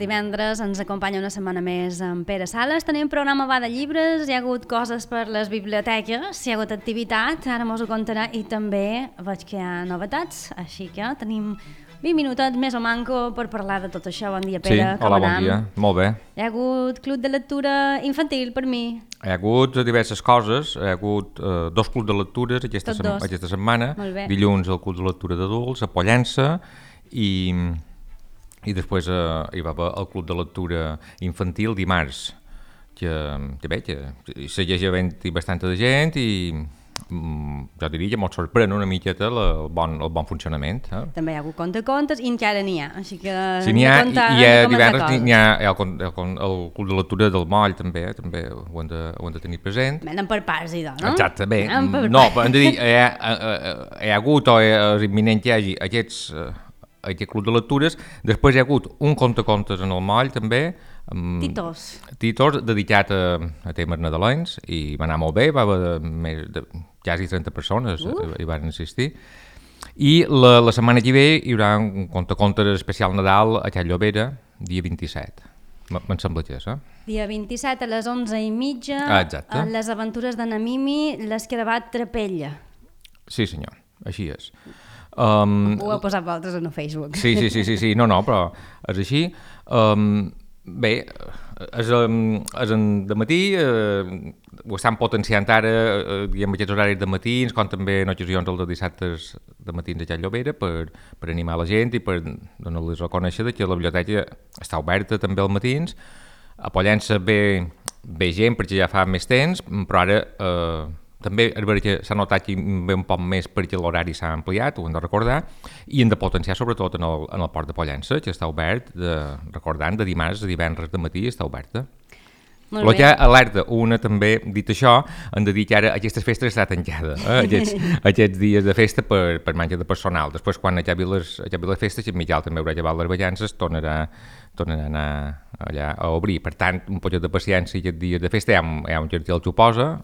Divendres ens acompanya una setmana més en Pere Sales. Tenim programa Va de llibres, hi ha hagut coses per les biblioteques, hi ha hagut activitat, ara mos ho contarà, i també veig que hi ha novetats, així que tenim 20 minutets més o manco per parlar de tot això. Bon dia, Pere. Sí, hola, bon dia. Molt bé. Hi ha hagut club de lectura infantil per mi. Hi ha hagut diverses coses, hi ha hagut dos clubs de lectures aquesta setmana. Dilluns el club de lectura d'adults a Pollença i després hi va haver el club de lectura infantil dimarts, que segueix havent-hi bastanta de gent i jo diria que ens sorprèn una miqueta el bon funcionament. També hi ha hagut contes i encara n'hi ha, així que sí, n'hi ha, i divendres n'hi ha el club de lectura del Moll, també ho hem de tenir present. Anem per parts, idò, no? Exacte, bé, no, hem de dir, hi ha hagut o és imminent que hi hagi aquest club de lectures. Després hi ha hagut un contes en el Moll també, Titos, dedicat a temes nadalencs, i va anar molt bé, va haver més de quasi 30 persones hi van assistir. I la setmana que ve hi haurà un contes especial Nadal a Can Llobera, dia 27. Me'n sembla que és, Dia 27 a les 11:30, exacte. Les aventures de Namimi, l'Escarabat Trapella. Sí, senyor, així és. Ho heu posat vosaltres en el Facebook. Sí, no, però és així. Bé, és de matí, ho estan potenciant ara, diguem, aquests horaris de matins, com també en ocasions els de dissabtes de matins a Can Llobera, per animar la gent i per donar-los a conèixer que la biblioteca està oberta també als matins. A Pollença ve gent perquè ja fa més temps, però ara també és veritat que s'ha notat que ve un poc més perquè l'horari s'ha ampliat, ho hem de recordar, i hem de potenciar sobretot en el port de Pollença, que està obert, recordant, de dimarts a divendres de matí està oberta. El que alerta una també, dit això, hem de dir que ara aquestes festes està tancada, aquests dies de festa per manca de personal. Després, quan acabi les festes, en Miquel també haurà llevat les ballances, tornarà a anar allà a obrir. Per tant, un poquet de paciència aquests dies de festa, hi ha un cartell que ho posa,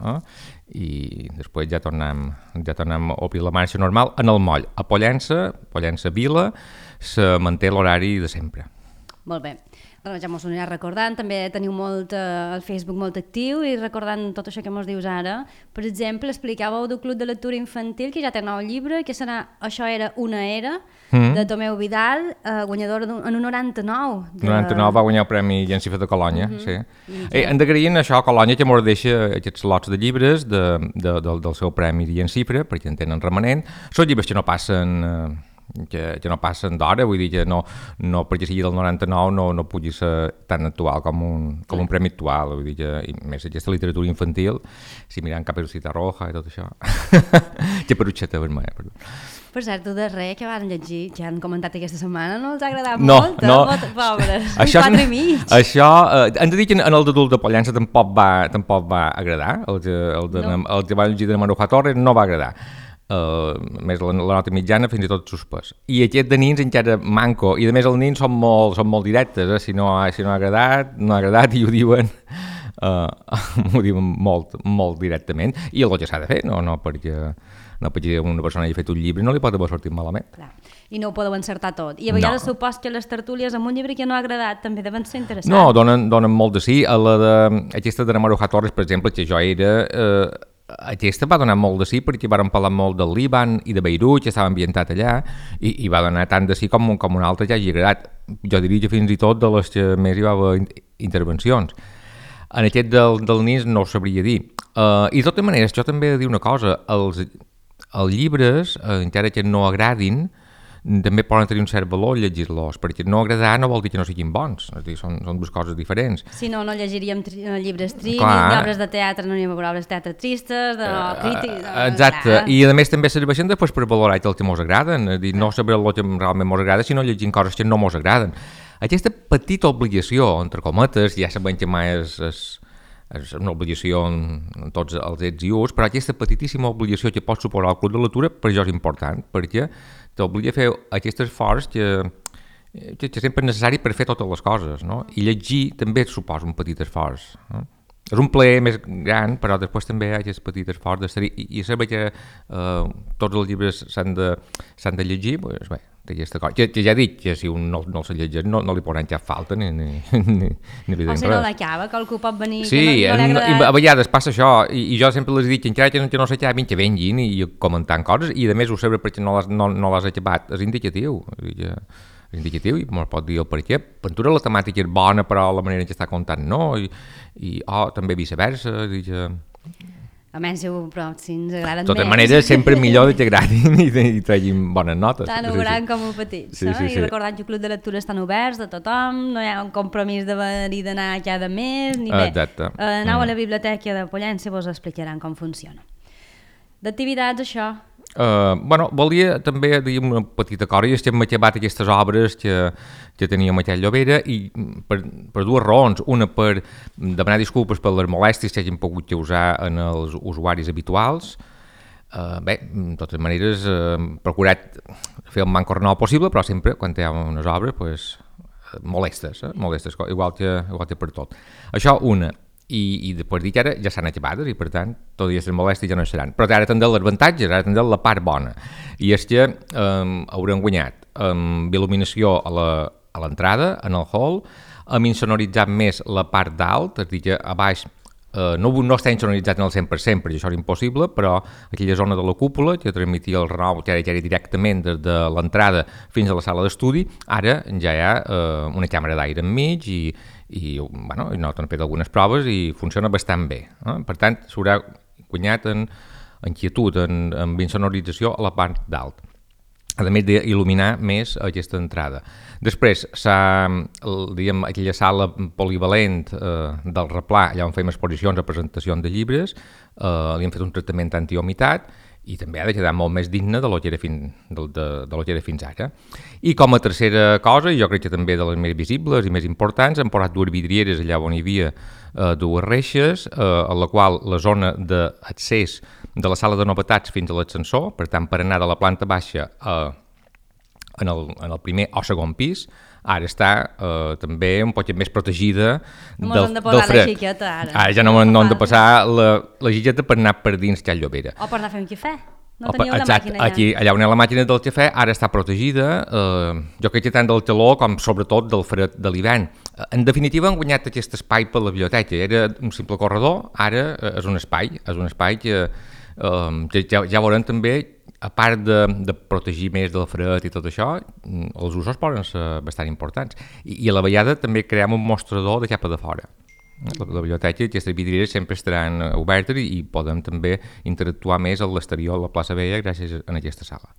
i després ja tornem a obrir la marxa normal en el Moll. A Pollença Vila, se manté l'horari de sempre. Molt bé. Ja mos ho anirà recordant, també teniu el Facebook molt actiu i recordant tot això que mos dius ara. Per exemple, explicàveu del Club de Lectura Infantil, que ja té nou llibre, que serà Això era una era, de Tomeu Vidal, guanyador en un 99. 99 va guanyar el Premi Llencifre de Colònia, sí. Hem d'agrair això a Colònia, que mos deixa aquests lots de llibres del seu Premi Llencifre, perquè en tenen remanent. Són llibres que no passen d'hora, vull dir que no perquè sigui del 99 no pugui ser tan actual com un premi actual, vull dir que més aquesta literatura infantil, si mirant Caperucita Roja i tot això, que Perucheta Vermella, perdó. Per cert, tu darrer que van llegir, que han comentat aquesta setmana, no els ha agradat molt? No. Pobres, un 4 i mig. Això, hem de dir que en el d'adult de Pollença tampoc va agradar, el que va llegir de Maruja Torres no va agradar. Més la nota mitjana fins i tot suspès, i aquest de nins encara manco, i a més els nins són molt directes, si no ha agradat, no ha agradat, i ho diuen molt directament, i el que s'ha de fer, no perquè una persona hagi fet un llibre no li pot haver sortit malament. Clar. I no ho podeu encertar tot, i a vegades supos que les tertúlies amb un llibre que no ha agradat també deuen ser interessants. No, donen molt de sí. Aquesta de Maruja Torres, per exemple, que jo era... Aquesta va donar molt de sí perquè varen parlar molt del Líban i de Beirut, que estava ambientat allà, i va donar tant de sí com un altre que hagi agradat. Jo diria que fins i tot de les que més hi va haver intervencions. En aquest del NIS no ho sabria dir. I de totes maneres, jo també he de dir una cosa, els llibres, encara que no agradin, també poden tenir un cert valor llegir-los, perquè no agradar no vol dir que no siguin bons, és a dir, són dues coses diferents. Si no llegiríem llibres tristes, d'obres de teatre, no n'hi ha obres de teatre tristes, de crítics... Exacte, i a més també serveixen després per valorar el que ens agraden, és a dir, no saber el que realment ens agrada, sinó llegint coses que no ens agraden. Aquesta petita obligació, entre cometes, ja sabem que mai és una obligació en tots els ets i ús, però aquesta petitíssima obligació que pot suposar el club de lectura per això és important, perquè t'obliga a fer aquest esforç que sempre és necessari per fer totes les coses, no? I llegir també suposa un petit esforç, no? És un plaer més gran, però després també hi ha aquest petit esforç d'estar-hi. I saber que tots els llibres s'han de llegir, doncs bé, té aquesta cosa. Que ja he dit que si un no els llegeix no li posaran cap falta ni li diuen res. O si no l'acaba, que algú pot venir... Sí, a vegades passa això, i jo sempre les he dit que encara que no s'acabin, que venguin i comentant coses, i a més ho sabré perquè no l'has acabat, és indicatiu. És indicatiu i me'l pot dir el per què. Pintura la temàtica és bona, però la manera en què està contant no, i també viceversa. Almenys però si ens agraden més. De totes maneres, sempre millor que agradin i treguin bones notes. Tant ho gran com ho petit. Sí. I recordant que el Club de Lectura estan oberts de tothom, no hi ha un compromís d'haver-hi d'anar cada mes, ni bé. Exacte. Aneu a la biblioteca de Pollença i vos explicaran com funciona. D'activitats, això... volia també dir una petita cosa, i és que hem acabat aquestes obres que teníem aquí a Llobera i per dues raons. Una, per demanar disculpes per les molèsties que hagin pogut causar en els usuaris habituals. De totes maneres, hem procurat fer el manco renau possible, però sempre, quan hi ha unes obres, molestes, igual que per tot. Això, una. I després dir que ara ja s'han acabat i per tant tot i les molèsties ja no seran, però ara tindrem els avantatges, ara tindrem la part bona, i és que haurem guanyat amb il·luminació a l'entrada, en el hall, hem insonoritzat més la part dalt, és a dir que a baix no està insonoritzat en el 100%, perquè això és impossible, però aquella zona de la cúpula que transmetia el renou, que era directament des de l'entrada fins a la sala d'estudi, ara ja hi ha una càmera d'aire enmig i nosaltres hem fet algunes proves i funciona bastant bé. Per tant, s'haurà guanyat en quietud, en insonorització a la part dalt, a més d'il·luminar més aquesta entrada. Després, aquella sala polivalent del replà, allà on fem exposicions o presentacions de llibres, li hem fet un tractament antihumitat i també ha de quedar molt més digne de lo que era fins ara. I com a tercera cosa, i jo crec que també de les més visibles i més importants, hem posat dues vidrieres allà on hi havia dues reixes, a la qual la zona d'accés de la sala de novetats fins a l'ascensor, per tant, per anar de la planta baixa en el primer o segon pis, ara està també un poc més protegida del fred. La xiqueta, ara. Ara ja no hem de passar la xiqueta per anar per dins Can Llobera. O per anar a fer un cafè. No teniu la màquina aquí, allà on hi ha la màquina del cafè, ara està protegida, jo crec que tant del calor com sobretot del fred de l'hivern. En definitiva, han guanyat aquest espai per la biblioteca. Era un simple corredor, ara és un espai que ja veurem també, a part de protegir més del fred i tot això, els usos poden ser bastant importants. I a la vegada també creem un mostrador de cap a de fora. La biblioteca i aquestes vidrieres sempre estaran obertes i podem també interactuar més a l'exterior, a la plaça Vella, gràcies a aquesta sala.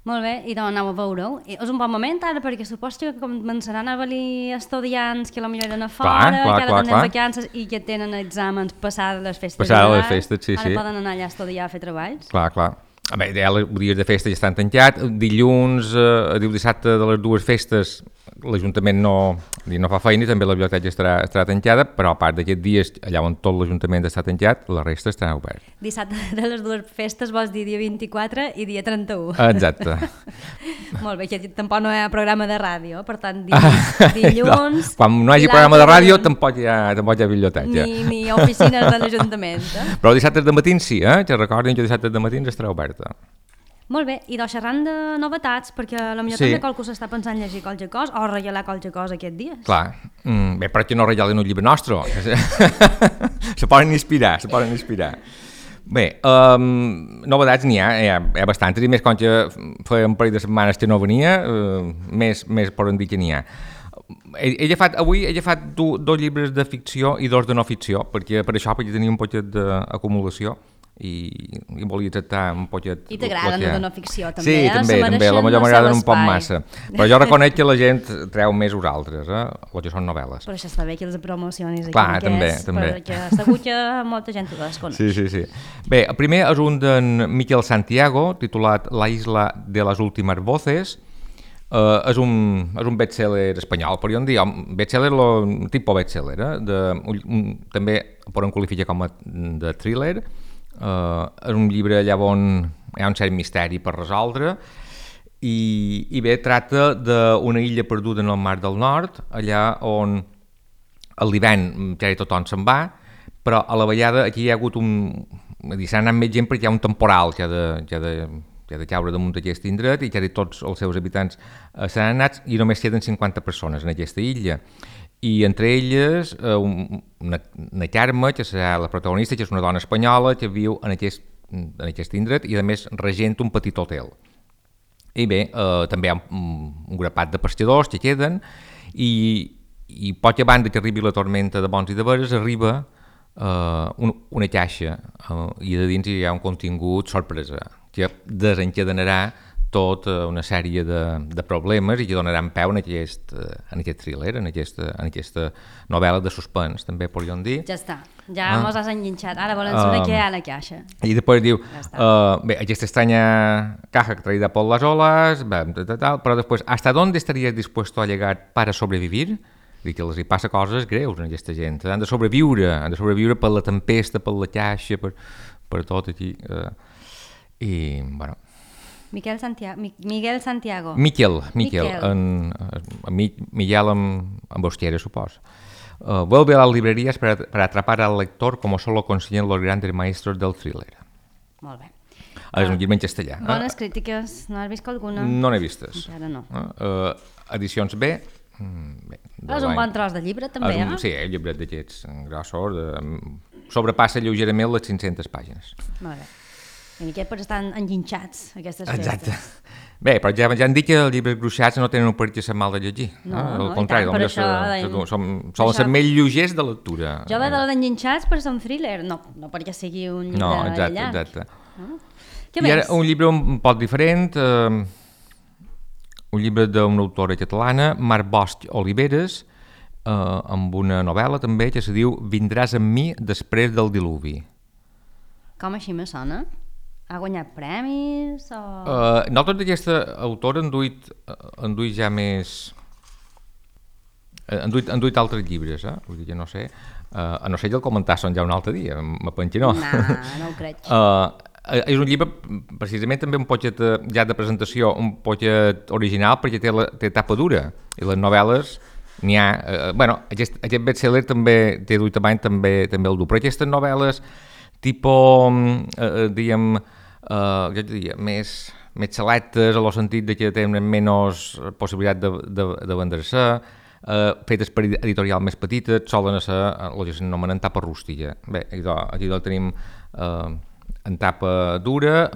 Molt bé, i doncs aneu a veure-ho. És un bon moment ara, perquè suposo que començaran a venir estudiants que potser eren a fora, que ara tenen vacances i que tenen exàmens passades les festes. Passades les festes, sí. Ara poden anar allà a estudiar, a fer treballs. Clar. Bé, els dies de festa ja estan tancats. Dilluns, dissabte de les dues festes, l'Ajuntament no fa feina i també la biblioteca estarà tancada, però a part d'aquests dies, allà on tot l'Ajuntament està tancat, la resta estarà obert. Dissabte de les dues festes vols dir dia 24 i dia 31. Exacte. Molt bé, que tampoc no hi ha programa de ràdio, per tant, dilluns... No. Quan no hi hagi programa de ràdio, tampoc hi ha biblioteca. Ni oficines de l'Ajuntament. Però dissabtes de matins sí, que recordin que dissabtes de matins estarà oberta. Molt bé, i doncs xerrant de novetats, perquè potser també qualcú s'està pensant llegir qualque cosa o regalar qualque cosa aquests dies. Clar, bé, però que no regalen un llibre nostre. Se poden inspirar. Bé, novetats n'hi ha bastantes, i més quan que feia un parell de setmanes que no venia, més poden dir que n'hi ha. Avui he agafat dos llibres de ficció i dos de no ficció, perquè tenia un poquet d'acumulació i volia tractar un poquet... I t'agraden la de no ficció, també, sí, també, la millor m'agraden un poc massa. Però jo reconec que la gent treu més vosaltres, el que són novel·les. Però això està bé que els promocionis aquí. Clar, també. Perquè segur que molta gent ho desconeix. Sí. Bé, el primer és un d'en Miquel Santiago, titulat La isla de las últimas voces. És un best-seller espanyol, podríem dir, best-seller, tipus best-seller, també poden qualificar com a de thriller. És un llibre allà on hi ha un cert misteri per resoldre i bé, tracta d'una illa perduda en el Mar del Nord, allà on a l'hivern ja tothom se'n va, però a la vegada aquí hi ha hagut s'ha anat més gent perquè hi ha un temporal que ha de caure damunt d'aquest indret i que tots els seus habitants s'han anat i només queden 50 persones en aquesta illa. I entre elles una Carme, que serà la protagonista, que és una dona espanyola que viu en aquest indret i a més regenta un petit hotel. I bé, també hi ha un grapat de pescadors que queden i poc abans que arribi la tormenta de bons i de veres arriba una caixa i de dins hi ha un contingut sorpresa que desencadenarà tota una sèrie de problemes i que donaran peu en aquest thriller, en aquesta novel·la de suspens, també podríem dir. Ja està, ja mos has enganxat. Ara volem saber què hi ha a la caixa. I després diu, bé, aquesta estranya caja traída por las olas, però després, ¿hasta dónde estarías dispuesto a llegar para sobrevivir? Dic que els hi passa coses greus a aquesta gent. Han de sobreviure per la tempesta, per la caixa, per tot aquí. I, bueno... Miguel Santiago. Miquel, Miguel amb Bosquera, supos. Vuelve a las librerías para atrapar al lector como solo consiguen los grandes maestros del thriller. Molt bé. És un llibre en castellà. Bones crítiques, no has vist alguna? No n'he vistes. Encara no. Edicions B. És un bon tros de llibre, també, Sí, el llibret d'aquests grossos, sobrepassa lleugerament les 500 pàgines. Molt bé. I aquest per estar enginxats, aquestes festes. Exacte. Bé, però ja han dit que els llibres gruixats no tenen un per què ser mal de llegir. No, al contrari, solen ser més lleugers de lectura. Jo veig de l'enginxats per ser un thriller, no perquè sigui un llibre llarg. No, exacte. Què més? I ara un llibre un poc diferent, un llibre d'una autora catalana, Mar Bosch Oliveres, amb una novel·la també que se diu Vindràs amb mi després del diluvi. Com així me sona? Ha guanyat premis? Nosaltres d'aquesta autora han duit ja més... Han duit altres llibres, vull dir que no sé. A no ser que el comentassin ja un altre dia, me pensi no. No ho crec. És un llibre, precisament també un poquet ja de presentació, un poquet original perquè té tapa dura i les novel·les n'hi ha... Aquest bestseller també té duit avall, també el du, però aquestes novel·les tipus, diguem, més selectes, en el sentit de que tenen menys possibilitat de vendre-se, fetes per editorial més petites, solen ser el que s'anomenen tapa rústica. Bé, aquí el tenim en tapa dura,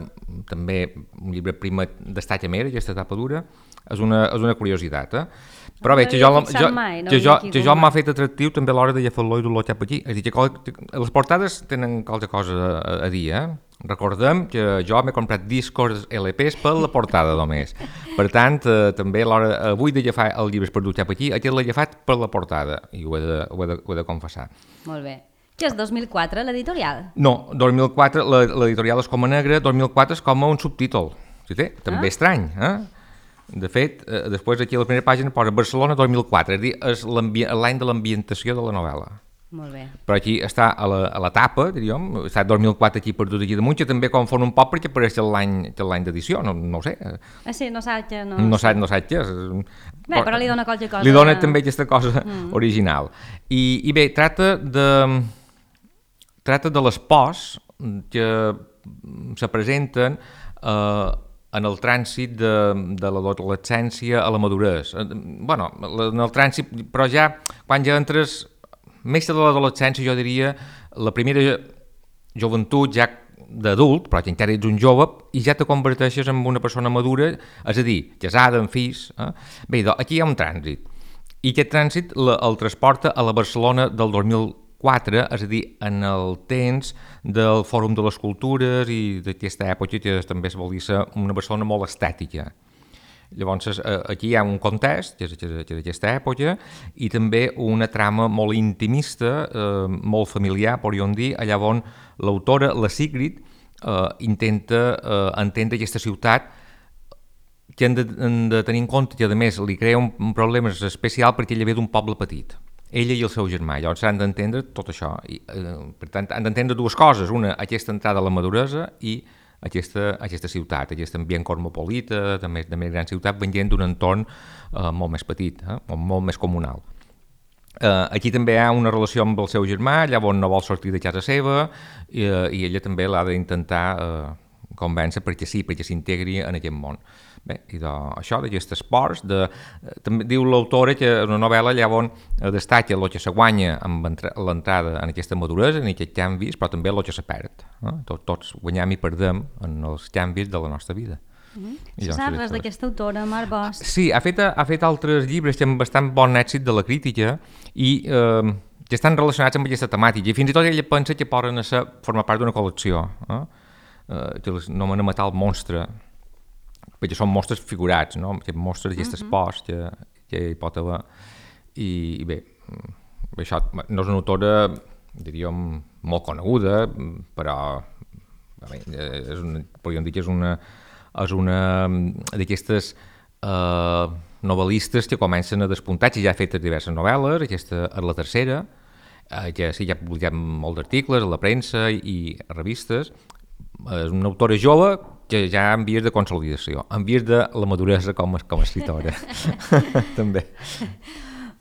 també un llibre primer destaca més, aquesta tapa dura, és una curiositat, Però bé, que jo m'ha fet atractiu també a l'hora de agafar-lo i dur-lo cap aquí. És a dir, que les portades tenen qualque cosa a dir, Recordem que jo m'he comprat discos LPs per la portada només. Per tant, també a l'hora avui d'agafar el llibre per dur cap aquí, aquest l'he agafat per la portada, i ho he de confessar. Molt bé. Què és 2004, l'editorial? No, 2004, l'editorial és com a negra, 2004 és com a un subtítol. Sí, també estrany, De fet, després aquí a la primera pàgina posa Barcelona 2004, és a dir, és l'any de l'ambientació de la novel·la. Molt bé. Però aquí està a la tapa, diríem, està 2004 aquí perdut aquí damunt, que també confon un poc perquè apareix l'any d'edició, no ho sé. Sí, no saps què. No saps què. Bé, però li dona qualque cosa. Li dona també aquesta cosa original. I bé, tracta de les pors que se presenten en el trànsit de l'adolescència a la maduresa. Bueno, en el trànsit, però ja, quan ja entres, més de l'adolescència, jo diria, la primera joventut ja d'adult, però que encara ets un jove, i ja te converteixes en una persona madura, és a dir, casada, amb fills. Bé, aquí hi ha un trànsit. I aquest trànsit el transporta a la Barcelona del 2004, és a dir, en el temps del Fòrum de les Cultures i d'aquesta època que també es vol dir una Barcelona molt estètica. Llavors, aquí hi ha un context, que és d'aquesta època, i també una trama molt intimista, molt familiar, podríem dir, allà on l'autora, la Sigrid, intenta entendre aquesta ciutat que han de tenir en compte que, a més, li crea un problema especial perquè ella ve d'un poble petit. Ella i el seu germà, llavors han d'entendre tot això. Per tant, han d'entendre dues coses. Una, aquesta entrada a la maduresa i aquesta ciutat, aquest ambient cosmopolita, de més gran ciutat, venint d'un entorn molt més petit, o molt més comunal. Aquí també hi ha una relació amb el seu germà, llavors no vol sortir de casa seva i ella també l'ha d'intentar convèncer perquè s'integri en aquest món. Bé, i això d'aquests esports, també diu l'autora que en una novel·la llavors destaca el que se guanya amb l'entrada en aquesta maduresa, en aquests canvis, però també el que se perd. Tots guanyem i perdem en els canvis de la nostra vida. Si saps res d'aquesta autora, Marc Bosch? Sí, ha fet altres llibres que amb bastant bon èxit de la crítica i que estan relacionats amb aquesta temàtica i fins i tot ella pensa que poden formar part d'una col·lecció, que les nomena Matar el monstre, perquè són monstres figurats, no? Aquests monstres d'aquests esports que hi pot haver. I bé, això no és una autora, diríem, molt coneguda, però podríem dir que és una d'aquestes novel·listes que comencen a despuntar, que ja ha fet diverses novel·les, aquesta és la tercera, que sí, ja ha publicat molts articles a la premsa i a revistes. És una autora jove que ja en vies de consolidació, en vies de la maduresa com a escriptora. També.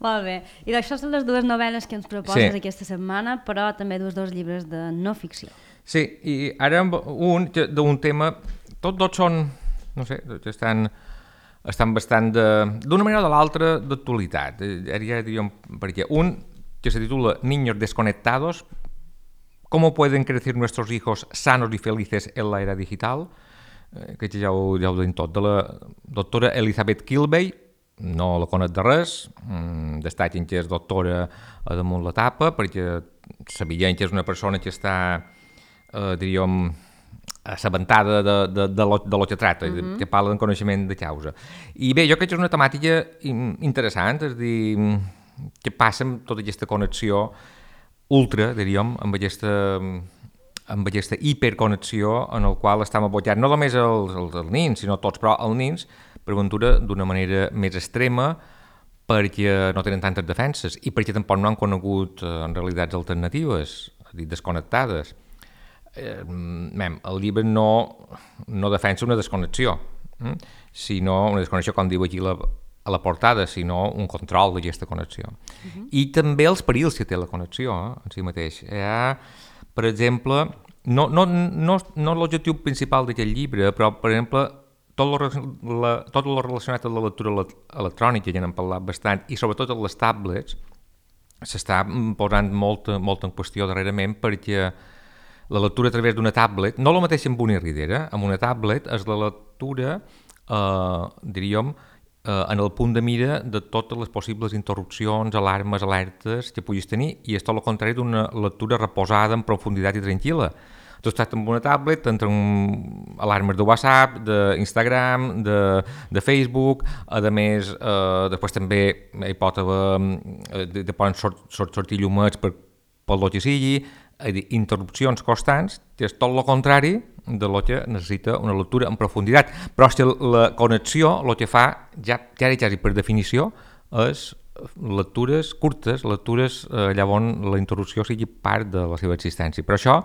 Molt bé. I això són les dues novel·les que ens proposes aquesta setmana, però també dos llibres de no ficció. Sí, i ara d'un tema... Tots són, no sé, estan bastant, d'una manera o de l'altra, d'actualitat. Ja diríem, perquè un que se titula Niños desconectados, ¿cómo pueden crecer nuestros hijos sanos y felices en la era digital? Que ja ho deim tot, de la doctora Elizabeth Kilbey, no la conec de res, destaquen que és doctora a damunt la tapa, perquè sabien que és una persona que està, diríem, assabentada de lo que tracta, que parla en coneixement de causa. I bé, jo crec que és una temàtica interessant, és a dir, què passa amb tota aquesta connexió ultra, diríem, amb aquesta hiperconnexió en el qual estem abocats, no només els nins, sinó tots, però els nins, per ventura, d'una manera més extrema, perquè no tenen tantes defenses i perquè tampoc no han conegut en realitats alternatives, és a dir, desconnectades. El llibre no defensa una desconnexió, sinó una desconnexió, com diu aquí a la portada, sinó un control d'aquesta connexió. I també els perills que té la connexió en si mateix. Hi ha, per exemple, no l'objectiu principal d'aquest llibre, però, per exemple, tot lo relacionat amb la lectura electrònica, ja n'hem parlat bastant, i sobretot amb les tablets, s'està posant molt en qüestió darrerament, perquè la lectura a través d'una tablet, no la mateixa amb un e-reader, amb una tablet és la lectura, diríem, en el punt de mira de totes les possibles interrupcions, alarmes, alertes que puguis tenir, i és tot el contrari d'una lectura reposada en profunditat i tranquil·la. Tu estàs amb una tablet, t'entren alarmes de WhatsApp, d'Instagram, de Facebook, a més, després també hi pot haver, poden sortir llumets per lo que sigui, interrupcions constants, que és tot el contrari de lo que necessita una lectura en profunditat. Però és que la connexió el que fa, ja per definició, és lectures curtes, lectures llavors la interrupció sigui part de la seva existència. Però això...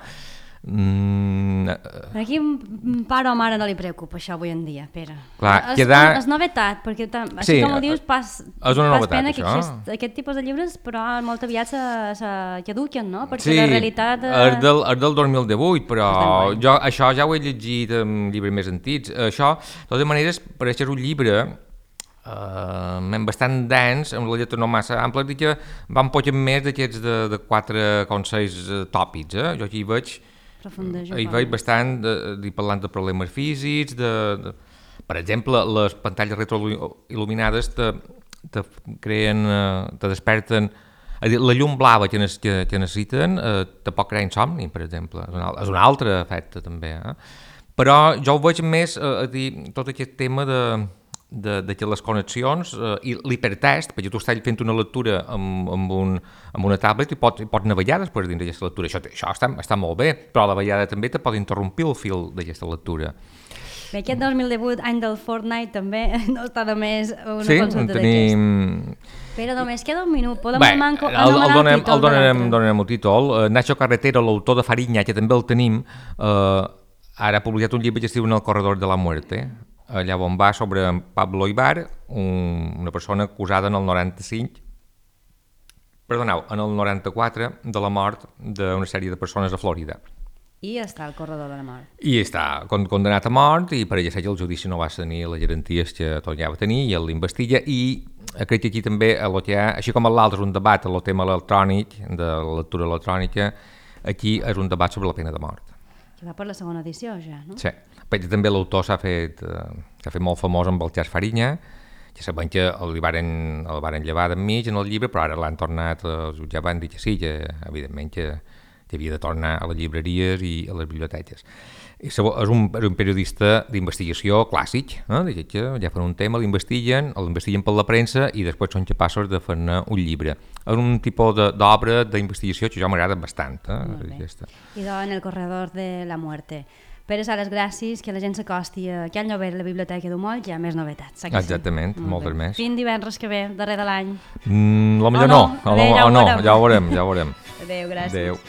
Aquí un pare o mare no li preocupa això avui en dia, Pere. Clar, és novetat, perquè així com ho dius, és una novetat, pena que això. Aquest tipus de llibres, però molt aviat caduquen, no? Perquè la realitat... És del 2018, però jo això ja ho he llegit en llibres més antics. Això, de totes maneres, pareix que és un llibre bastant dens, amb la lletra no massa ampla, i que va un poc més d'aquests de 4 consells tòpics. Jo aquí hi veig bastant parlant de problemes físics, per exemple, les pantalles retroil·luminades te desperten, la llum blava que necessiten te pot crear insomni, per exemple, és un altre efecte també, però jo ho veig més tot aquest tema de que les connexions i l'hipertest, perquè tu estàs fent una lectura amb una tablet i pots navegar després dins d'aquesta lectura. Això està molt bé, però a la vegada també te pot interrompir el fil d'aquesta lectura. Bé, aquest 2018, any del Fortnite, també no està només una consulta d'aquest. Pere, només queda un minut. Podem anomenar el títol? El donarem el títol. Nacho Carretero, l'autor de Fariña, que també el tenim, ara ha publicat un llibre que es diu En el corredor de la muerte, allà on va sobre Pablo Ibar, una persona acusada en el 95, perdoneu, en el 94 de la mort d'una sèrie de persones a Florida. I està al corredor de la mort. I està condenat a mort i per ella el judici no va tenir les garanties que tot ja va tenir i ell l'investiga i crec que aquí també el que hi ha, així com l'altre és un debat el tema electrònic, de la lectura electrònica, aquí és un debat sobre la pena de mort. Que va per la segona edició ja, no? Sí, perquè també l'autor s'ha fet molt famós amb el Jas Fariña, que sabem que el varen llevar d'enmig en el llibre, però ara l'han tornat, ja van dir que sí, que evidentment que havia de tornar a les llibreries i a les biblioteques. És un periodista d'investigació clàssic, que ja fan un tema, l'investiguen per la premsa i després són capaços de fer-ne un llibre. És un tipus d'obra d'investigació que jo m'agrada bastant. I en el corredor de la muerte. Pere Sales, gràcies, que la gent s'acosti a aquell novel a la Biblioteca d'Humoll, hi ha més novetats. Exactament, moltes més. Fins divendres que ve, darrer de l'any. Potser no, ja ho veurem. Adéu, gràcies. Adéu.